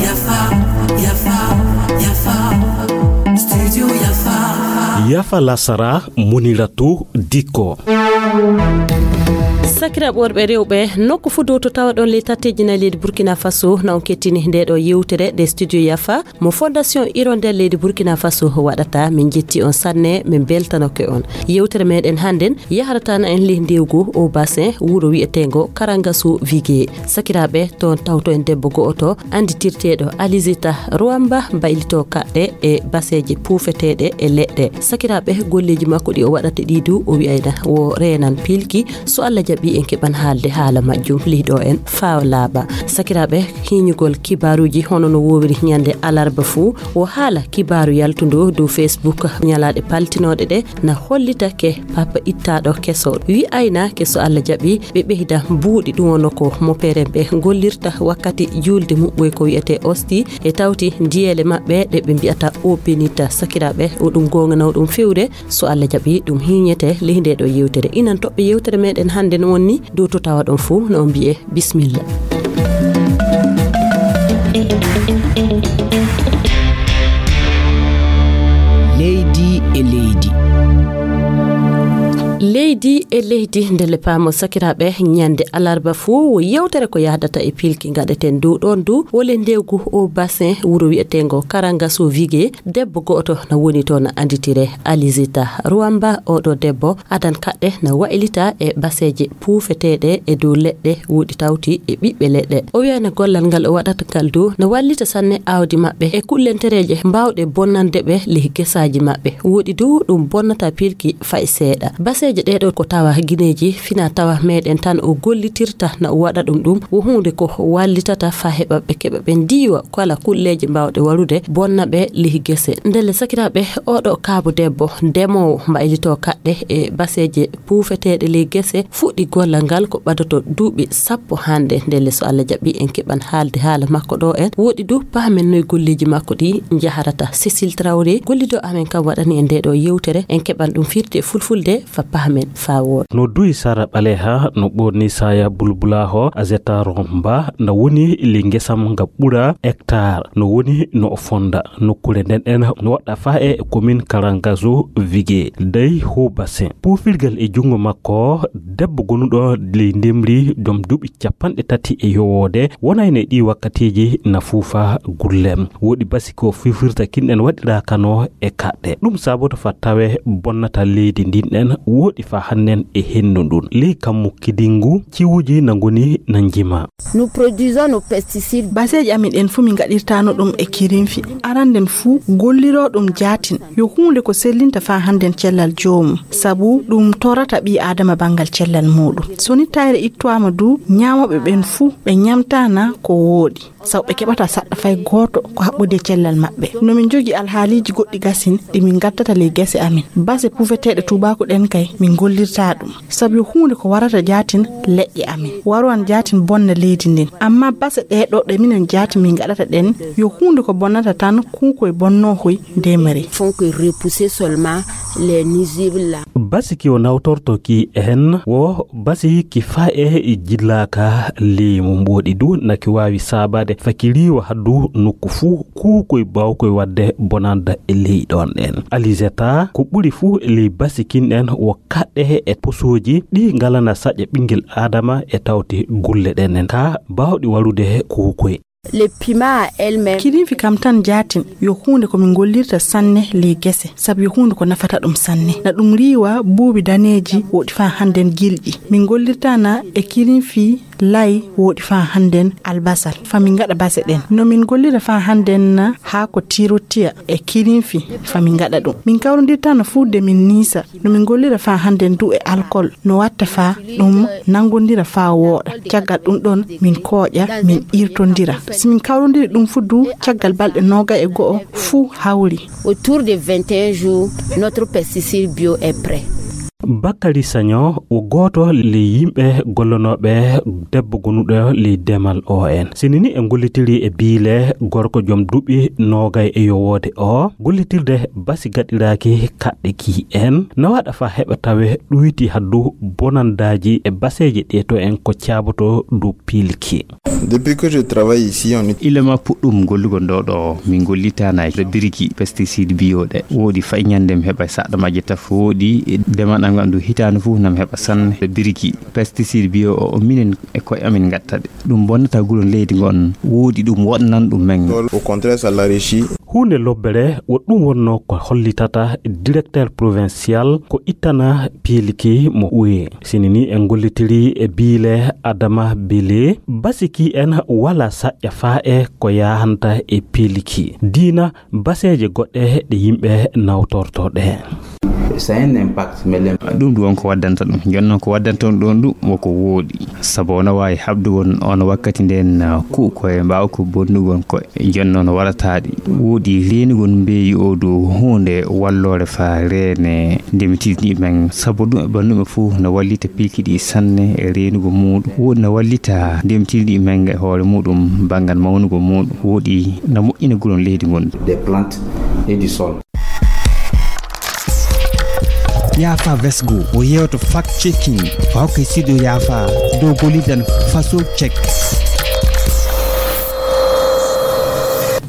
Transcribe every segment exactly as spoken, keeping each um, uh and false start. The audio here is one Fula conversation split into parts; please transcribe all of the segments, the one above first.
Yafa, yafa, yafa. Studio Yafa. Yafa lasara, Muniratu Dikko. Sakiraaɓe worɓe e rewɓe, nokku fuu dow to tawaɗon ley tatteeji nayi leydi Burkina Faso, na on kettini ndee ɗoo yewtere nde Studio Yafa mo Fondation Hirondelle leydi Burkina Faso waɗata. Min njetti on sanne, min mbeltanoke on. Yewtere meɗen hannden yahrata na en ley ndewgu o bassin wuro wi'eteengo Karangasu Vigué. Sakiraaɓe, toon tawto en debbo go'oto annditirteeɗo Alizita Ruwamba, mbaylitoo kaɗɗe e baseeje puufeteeɗe e leɗɗe. Sakiraaɓe, golleeji makko ɗi o waɗata ɗi du, o wi'ayna wo reenan piilki. So Allah jaɓii, en keɓan haalde haala majjum ley ɗoo en faa laaɓa. Sakiraaɓe, hiinyugol kibaaruuji hono no woowiri ñande alarba fuu, wo haala kibaaru yaltundu dow Facebook ñalaaɗe paltinooɗe ɗe na hollitake papa ittaaɗo keso. Wi'aynaake, so Allah jaɓii, ɓe ɓeyda buuɗi, ɗum wonno ko mopere ɓe gollirta wakkati juulde muɓɓoy ko wi'etee osti, e tawti ndiyeele maɓɓe ɗe ɓe mbi'ata o benita. Sakiraaɓe, o ɗum goonga na o ɗum fewre. So Allah jaɓii, ɗum hiinyete ley ndee ɗoo yewtere. Inan toɓɓe yewtere meɗen hannden wonni dow to tawaɗon fuu, no on mbi'e bismilla. Leydi e leydi. Leydi e leydi, ndelle paamo sakiraaɓe, ñande alarba fuu wo yewtere ko yahdata e piilki ngaɗeten dow ɗoon du, wo ley ndewgu o bassin wuro wi'eteengo Karangaso Vigué. Debbo go'oto na woni toon, na annditire Alizita Ruwamba. Oɗo debbo adan kaɗɗe na waylita e baseeje puufeteeɗe e dow leɗɗe, woɗi tawti e ɓiɓɓe leɗɗe. O wi'ayna gollal ngal o waɗata ngal du na wallita sanne aawdi maɓɓe e kullentereeje mbaawɗe bonnande ɓe ley gesaaji maɓɓe. Woɗi du ɗum bonnata piilki fay seeɗa. Baseeje ɗee ɗoo ko tawa gineeji fina tawa meɗen tan o gollitirta na o waɗa ɗum. Ɗum wo huunde ko wallitata faa heɓa ɓe keɓa ɓe ndiiwa kala kulleeje mbaawɗe warude bonna ɓe ley gese. Ndelle sakiraaɓe, oɗo kaabo debbo ndemoowo mbaylitoo kaɗɗe e baseeje puufeteeɗe ley gese fuɗɗi gollal ngal ko ɓadoto duuɓi sappo hannde. Ndelle so Allah jaɓii, en keɓan haalde haala makko ɗoo en. Woɗi du pahamen noy golleeji makko ɗi njaharata. Cécile Traoré, gollido amen kam, waɗani en ndee ɗoo yewtere. En keɓan ɗum firti e fulfulde faa pahamen faa wooɗa. No duwi Sara Ɓaleha, no ɓoorni Saya Bulbulaho, Azeta Romba, na woni ley ngesam nga ɓura hectare, no woni no o fonda. Nokkuure nden en no waɗa faa e commune Karangazo Vigué, dey ho bassin. Puufirgal e junngo makko, debbo gonuɗo ley ndemri, joom duuɓi capanɗe tati e yowoode, wonayno e ɗii wakkatiiji na fuufa gullem. Woɗi basi ko fifirta kinɗen waɗiraa kano e kaɗɗe. Ɗum saboto fa tawe bonnata leydi ndin ɗen woɗi fa hannen e hendu ndun. Ley kammu kidingu ciwuji na ngoni na njima. Nous produisons nos pesticides. Baseeji amin ɗen fuu min ngaɗirtaano ɗum e kirinfi. Aranden fuu golliroo ɗum jaatin. Yo huunde ko sellinta fa hannden cellal joomum. Sabu ɗum torata ɓii Aadama banngal cellal muuɗum. So ni tayre ittowaama du, ñaamooɓe ɓen fuu ɓe ñamtaana ko wooɗi. Sabu ɓe keɓata saɗɗa fay gooto ko haɓɓude e cellal maɓɓe. No min njogii alhaaliiji goɗɗi gasin ɗi min ngaddata ley gese amin. Base puufeteeɗe tuubaaku ɗen kay, min ngollirtaa ɗum. Sabu yo huunde ko warata jaatin leƴƴe amin. Waruwan jaatin bonna leydi ndin. Amma base ɗee ɗoo ɗe minen jaatin min ngaɗata ɗen, yo huunde ko bonnata tan kuukoy bonnoohoy ndemri. Font que repousser seulement les nuisibles là. Basi ki o nawtorto ki en wo basi ki faa e jillaaka leymu mboɗi du na ki waawi saabaade fa ki riiwa haddu nokku fuu kuukoy baawkoy waɗde bonanda e ley ɗon ɗen. Alizeta, ko ɓuri fuu e ley basi kin ɗen wo kaɗɗe e posooji ɗi ngalana saƴa ɓinngel Aadama e tawti gulle ɗen ɗen ka baawɗi warude kuukoy. Le piment à elle-même. Kirinfi kam tan jaatin yo huunde ko min ngollirta sanne ley gese, sabu yo huunde ko nafata ɗum sanne. Na ɗum riiwa buubi daneeji woɗi faa hannden gilƴi. Min ngollirta na e kirinfi lay woɗi faa hannden albasal. Fa min ngaɗa base ɗen. No min ngollira faa hannden na haako tirotiya e kirinfi fa min ngaɗa ɗum. Min kawrondirta na fuu de min niisa. No min ngollira faa hannden du e alkol, no watta faa ɗum nanngondira faa wooɗa. Caggal ɗum ɗon, min kooƴa, min irtondira. Si min kawrondiri ɗum fuu du, caggal balɗe noogay e go'o fuu hawri. Autour de vingt et un jours, notre pesticide bio est prêt. Bakary Sagnon o gooto ley yimɓe gollanooɓe debbo gonuɗo ley demal O N. Sinini e gollitiri e biile gorko joom duuɓi noogay e yowoode o gollitirde basi gaɗiraaki kaɗɗe ki en na waɗa fa heɓa tawe ɗuyti haddu bonandaaji e baseeje ɗe to en ko caaboto dow piilki. Depuis que je travaille ici, on est Ilama puɗɗum gollugol ɗo ɗo min gollitana e biriki pesticide bio ɗe woodi fay ñande mi heɓa saɗa majje taf woodi demal am ngal ɗum hitaande fof nam heɓa sanne biriki pesticide bio o o minen e koye amin gatta ɗe ɗum bonnata gulon leydi ngon woodi ɗum woɗnan ɗum men. Au contraire, ça l'enrichit. Huunde lobbere wo ɗum wonno ko hollitata directeur provincial ko ittana piiliki mo uye. Sini ni en gollitiri e biile Adama Bele, basiki en wala saƴƴa faa e ko yahanta e piiliki diina baseeje goɗɗe ɗe yimɓe nawtorto ɗe. Ça a un impact, mais le- Ɗum ɗum won ko waddanta ɗum jonnon ko waddanta ɗum ɗon ɗum woko wooɗi. Sabu ono waawi haɓdugol on wakkati nden, uh, ku'u koye mbaawa ko bonnugol koye. Jonnon warataɗi woodi reenugol mbeeyi o dow huunde walloore fa reene ndemitiiɗi men. Sabu ɗum e ɓannduɓe fof no wallita piilki ɗi sanne e reenugol muuɗum. Woodi no wallita ndemitiiɗi men e hoore muuɗum banngal mawnugol muuɗum. Woodi no moƴƴina gulon leydi ngon. Des plantes et du sol. Yafa Vesgo o yewto fact checking fa hokke sido yafa dow golidan faso check.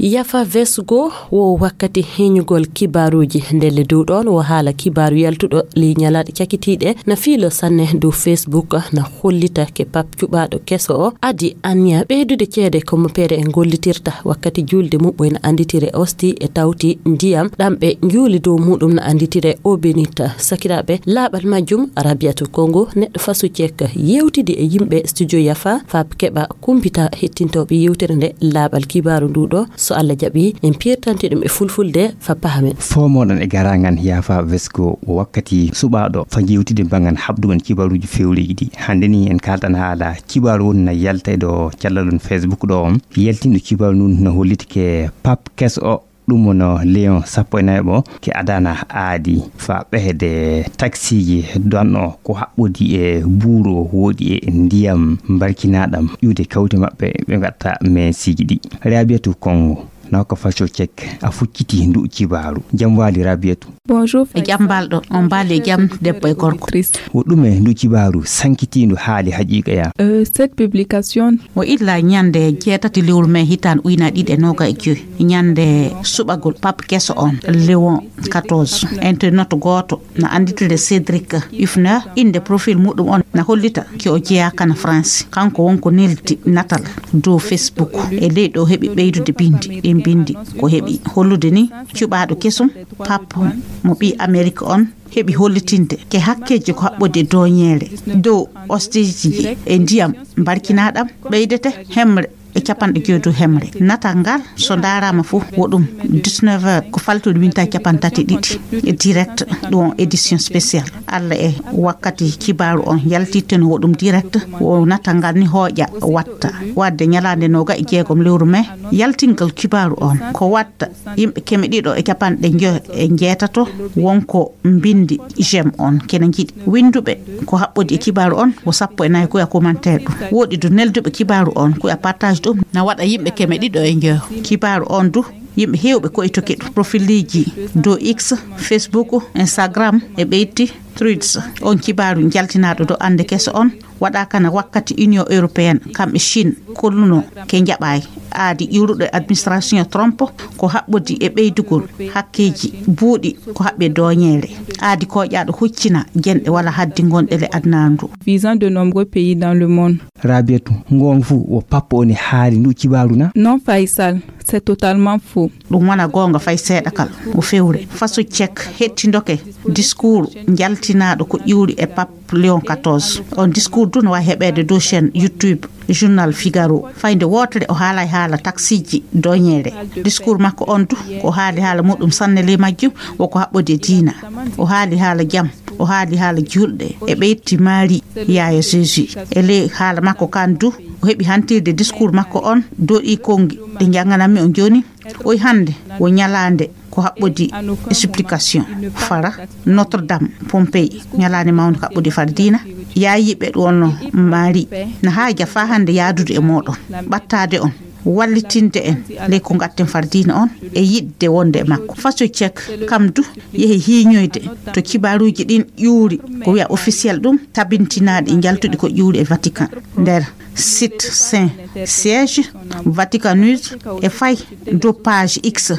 Yafa Vesgo wo wakkati heñugol kibaaruuji ndelle dow ɗoon wo haala kibaaru yaltuɗo ley ñalaaɗe cakitiiɗe na fiilo sanne dow Facebook na hollita ke pap cuɓaaɗo keso o adi anniya ɓeydude ceede ko mo peere en gollitirta wakkati juulde muɓɓoy na annditire osti e tawti ndiyam ɗam ɓe njuuli dow muɗum na annditire obinit. Sakiraaɓe laaɓal majjum Rabiatu Kongo neɗɗo faso cek yewtidi e yimɓe studio Yafa fab keɓa kumpita hettintooɓe yewtere nde laaɓal kibaaru ndu ɗo so Allah jaɓi en pirtanti ɗum e fulfulde fa pahamen. Fomoɗon e garangan Yafa Vesgo wakkati suɓaɗo fa jewtide bangan haɓdugon kibaruji fewreji ɗi hande ni en kaltan haala kibaru woni na yalta e ɗo callalun Facebook ɗo on yaltinɗo kibaru nun no holliti ke pap kes o ɗum wono Léon sappo e nayo o ke adana aadi fa ɓehde taksiji donno ko haɓɓodi e buuro woɗi e ndiyam mbarkinaɗam iwde kawte maɓɓe ɓe gatta mesiji ɗi. Rabiatu Kongo na ko faco cek a fucciti ndu kibaru. Jam wali Rabiatu. Bonjour. E jam mbalɗo on mbaali e jam debbo e gorko. Wo ɗume ndu kibaru sankitiindu haali haqiiqa ya? Euh, cette publication. Mo illa ñande jeetati lewru mai hitaan uyna ɗiɗi e noga e joyi ñande suɓagol pap keso on Léon quatorze internet gooto na annditire Cédric Hufner. Innde profil muɗum on na hollita ke o jeyaa kana France. Kanko won ko neldi natal dow Facebook. E ley ɗo heɓi ɓeydude binndi ɗin binndi ko heɓi hollude ni cuɓaaɗo kesum pap mo ɓii Amerik on heɓi hollitinde ke hakkeeji ko haɓɓodi e dooñeere dow osteeji e ndiyam mbarkinaɗam ɓeydete hemre e capanɗe joyi dow hemre. Natal ngal so ndaarama fof wo ɗum dix-neuf heures ko faltude minta capanɗe tati e ɗiɗi e direct ɗum on édition spécial. Allah e wakkati kibaaru on yaltitte no wo ɗum direct wo natal ngal ni hooƴa watta wadde ñalaande noga e jeegom lewru mai yaltingal kibaaru on ko watta yimɓe keme ɗiɗo e capanɗe njoyo e njeetato wonko mbindi j'aime on kene jiɗi winnduɓe ko haɓɓodi e kibaaru on wo sappo e nayi koya commentaire ɗum woɗi du nelduɓe kibaaru on koya partage ɗum na waɗa yimɓe keme ɗiɗo e njoyo kibaaru on du yimɓe heewɓe ko e toki ɗum profiliji dow X, Facebook, Instagram e ɓeyti Threads. On kibaaru jaltinaɗo do ande keso on waɗa kana wakkati Union Européenne kamɓe Chine kolluno ke jaɓaay aadi ƴuuruɗo e administration Trump ko haɓɓodi e ɓeydugol hakkeeji buuɗi ko haɓɓe dooñeere aadi koƴaaɗo huccina jenɗe wala haddi gonɗe le adnandu. Visant de nombreux pays dans le monde. Rabiatu ngon fu wo pappo oni haali ndu kibaru na? Non Faisal, c'est totalement faux. Ɗum wona goonga fay seeɗa kal o fewre faso cek hettindoke discours njaltinaaɗo ko ƴuuri e pap Léon quatorze. On discours du no wawi heɓeede dow chaîne YouTube journal Figaro. Fayde wootere o haalay haala taksiji doñeere. Discours makko on du ko haali haala muɗum sanne ley majjum woko haɓɓode diina. O haali haala jam, o haali haala julɗe e ɓeytti maari yaaya Jésus. E ley haala makko kan du o heɓi hantirde discours makko on dow ɗi kongi ɗe njannganammi on jooni. Oy hannde wo ñalaande ko haɓɓodi explication fara Notre Dame Pompéi, ñalaande mawnde kaɓɓodi far diina, yaayiiɓe ɗo wonno maari na haaja faa hannde yaadude e mooɗon, ɓattaade on, wallitinde en ley ko ngatten far diina on e yiɗde wonde e makko. Faso Cek kam du yehi hiiñoyde to kibaaruuji ɗin ƴuuri ko wiya officiel ɗum, tabintinaaɗi njaltuɗi ko ƴuuri e Vatican nder site Saint Siège, Vatican News, e fay dow page X,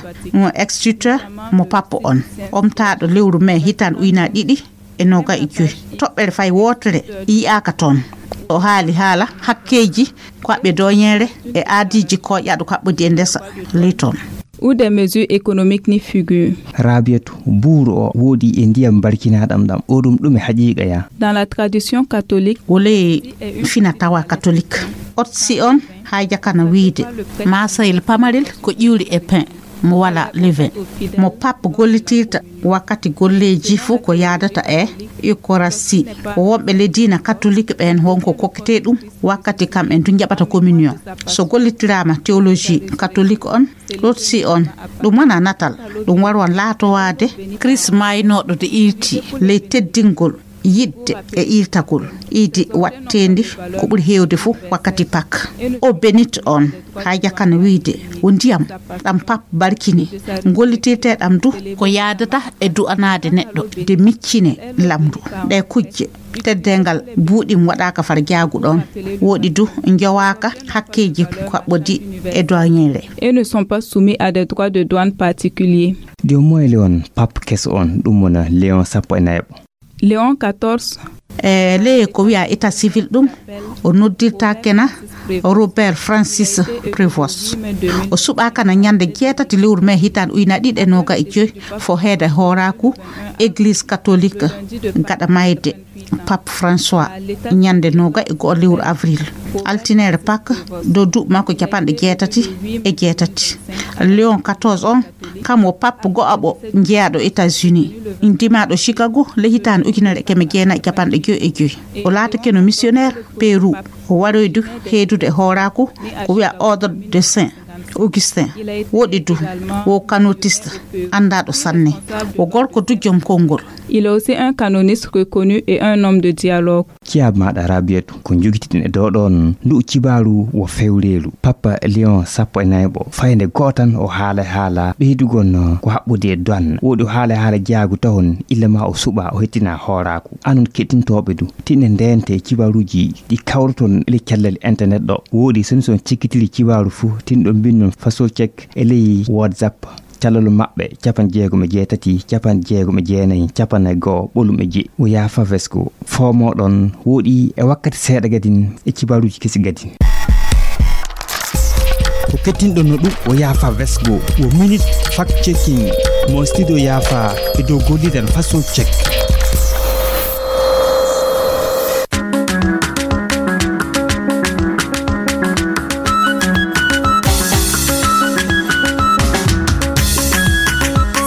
X Twitter, mo pappo on, omtaaɗo lewru mee hitaande ujunaaji ɗiɗi e noogay e joy. Toɓɓere fay wootere yiyaaka toon. O haali haala hakkeeji ko aɓe dooñeere e aadiiji kooƴaaɗo kaɓɓodi e ndesa ley toon. Ou des mesures économiques ni figure. Rabiatu, buuru o woodi e ndiyam barkinaaɗam ɗam. O ɗum ɗum e haqiiqa ya. Dans la tradition catholique, wole fina tawa catholique. Otsi on haaja kana wiide maasayel pamarel ko ƴiwri e pain mo wala levain. Mo pape gollitirta wakkati golleeji fuu ko yaadata e Eucharistie. Wonɓe le diina catholique ɓeen wonko kokkete ɗum wakkati kam en du njaɓata communion. So gollitiraama théologie catholique on, Rotsi on, ɗum wona natal, ɗum warwan laatowaade Christ maaynooɗo de iirti ley teddingol yiɗde e iirtagol iidi waɗteendi ko ɓuri heewde fof wakkati Pâques. O benit on, haa jakana wiide wo ndiyam ɗam pape barkini, gollitirteeɗam du ko yaadata e du'anaade neɗɗo de miccine lamru. Ɗe kujje teddeengal buuɗim waɗaaka far jaagu ɗoon, woɗi du njowaaka hakkeeji kaɓɓodi e doñeere. Et ne sont pas soumis à des droits de douane particuliers. Joom moyle on pape keso on, ɗum wona Léon sappo e nayaɓo. Léon quatorze. E ley ko wiya état civil ɗum, o noddirtaakena Robert Francis Prévost. O suɓaakana ñande jeetati lewru mee hitaande ujunaaji ɗiɗi e nooga e joy fo heeda hooraaku Église catholique gaɗa mayde Pape François ñande nooga e go'o lewru avril. Altineere Pâques dow duuɓi makko capanɗe jeetati e jeetati. Léon quatorze on, kam wo pape go'aɓo jeyaaɗo États-Unis, ndimaaɗo Chicago ley hitaande ujunere e keme jeenayi e capanɗe joy e joy. O laatakeno missionnaire Pérou. O waroydu heedude e hooraaku ko wiya Ordre de Saint Augustin. Woɗi du wo canotiste anndaaɗo sanne. Wo gorko du jom konngol. Il est aussi un canoniste reconnu et un homme de dialogue. Ciyaabu maaɗa Rabiatu, ko njogitiɗen e dow ɗoon ndu cibaaru wo fewreelu. Papa Léon sappo e nayaɓo, fayde gootan o haala haala ɓeydugol no ko haɓɓodi e doan. Woɗi o haala haala jaagu tawon illa ma o suɓa o hettina hooraaku. Anon keɗtintooɓe du, tinɗe ndeente e cibaaruuji ɗi kawroton e ley cellal internet ɗo. Woɗi soni son cikkitiri cibaaru fuu, tinɗo mbinnon faso cek e ley WhatsApp. Calal maɓɓe, capanɗe jeegom e jeetati, capanɗe jeegom e jeenayi, capanɗe go'o, ɓolum e jeɗɗi. O yaafa vesgo. Foomo ɗon woɗi e wakkati seeɗa gadin e cibaaruuji kesi gadin. Ko kettinɗon no ɗum, o yaafa vesgo. Wo minute fact checking. Mo studio yaafa e dow gollidan faso check.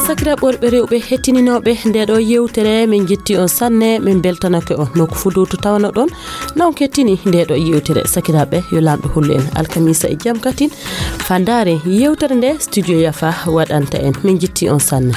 Sakiraaɓe worɓe rewɓe hettininooɓe nde ɗo yewtere, min jetti on sanne, min beltanake on. No ko fuduutu tawano ɗon, na on kettini nde ɗo yewtere. Sakiraaɓe, yo Laamɗo hollu en alkamisa e jam katin. Fandaare yewtere nde studio Yafa waɗanta en. Min jetti on sanne.